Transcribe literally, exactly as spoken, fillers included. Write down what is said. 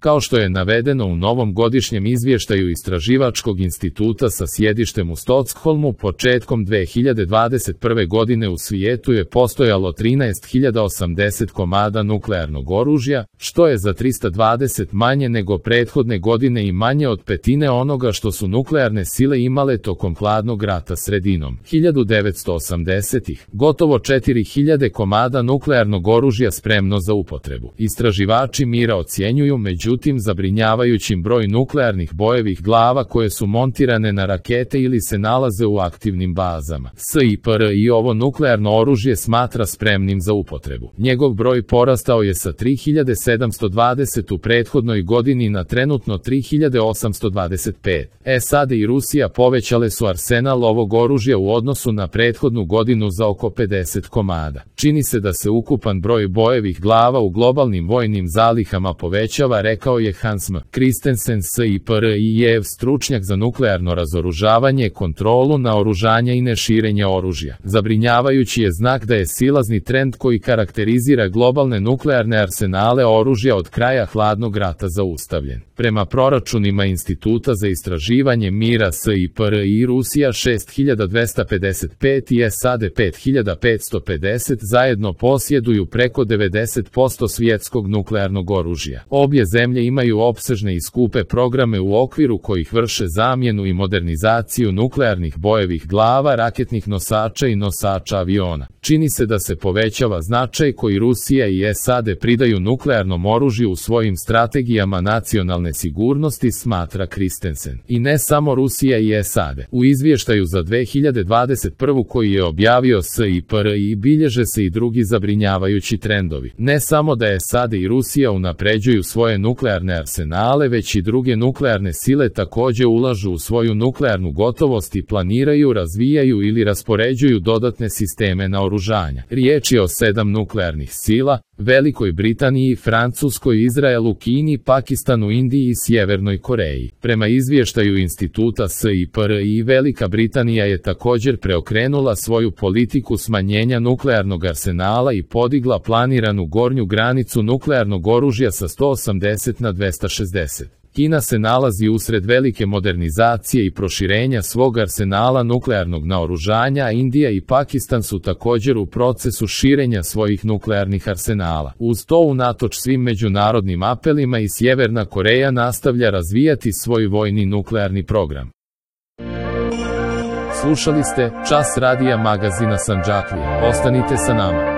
Kao što je navedeno u novom godišnjem izvještaju Istraživačkog instituta sa sjedištem u Stokholmu, početkom dve hiljade dvadeset prve godine u svijetu je postojalo trinaest hiljada osamdeset komada nuklearnog oružja, što je za trista dvadeset manje nego prethodne godine i manje od petine onoga što su nuklearne sile imale tokom hladnog rata sredinom hiljadu devetsto osamdesetih. Gotovo četiri hiljade komada nuklearnog oružja spremno za upotrebu. Istraživači mira ocjenjuju međutim zabrinjavajućim broj nuklearnih bojevih glava koje su montirane na rakete ili se nalaze u aktivnim bazama. S I P R I ovo nuklearno oružje smatra spremnim za upotrebu. Njegov broj porastao je sa tri hiljade sedamsto dvadeset u prethodnoj godini na trenutno tri hiljade osamsto dvadeset pet. S A D i Rusija povećale su arsenal ovog oružja u odnosu na prethodnu godinu za oko pedeset komada. Čini se da se ukupan broj bojevih glava u globalnim vojnim zalihama povećava, rekao je Hans M. Christensen, S I P R I-ev stručnjak za nuklearno razoružavanje, kontrolu naoružanja i neširenja oružja. Zabrinjavajući je znak da je silazni trend koji karakterizira globalne nuklearne arsenale oružja od kraja hladnog rata zaustavljen. Prema proračunima Instituta za istraživanje mira S I P R I, Rusija šest hiljada dvesta pedeset pet i S A D pet hiljada petsto pedeset zajedno posjeduju preko devedeset posto svjetskog nuklearnog oružja. Obje zemlje imaju opsežne i skupe programe u okviru kojih vrše zamjenu i modernizaciju nuklearnih bojevih glava, raketnih nosača i nosača aviona. Čini se da se povećava značaj koji Rusija i S A D pridaju nuklearnom oružju u svojim strategijama nacionalne sigurnosti, smatra Christensen. I ne samo Rusija i S A D. U izvještaju za dve hiljade dvadeset prvu koji je objavio S I P R I bilježe se i drugi zabrinjavajući trendovi. Ne samo da S A D i Rusija unapređuju svoje nuklearne arsenale, već i druge nuklearne sile također ulažu u svoju nuklearnu gotovost i planiraju, razvijaju ili raspoređuju dodatne sisteme naoružanja. Riječ je o sedam nuklearnih sila: Velikoj Britaniji, Francuskoj, Izraelu, Kini, Pakistanu, Indiji i Sjevernoj Koreji. Prema izvještaju Instituta S I P R I, Velika Britanija je također preokrenula svoju politiku smanjenja nuklearnog arsenala i podigla planiranu gornju granicu nuklearnog oružja sa sto osamdeset na dvesta šezdeset. Kina se nalazi usred velike modernizacije i proširenja svog arsenala nuklearnog naoružanja, a Indija i Pakistan su također u procesu širenja svojih nuklearnih arsenala. Uz to, unatoč svim međunarodnim apelima, i Sjeverna Koreja nastavlja razvijati svoj vojni nuklearni program. Slušali ste Čas radija magazina Sandžaklija. Ostanite sa nama.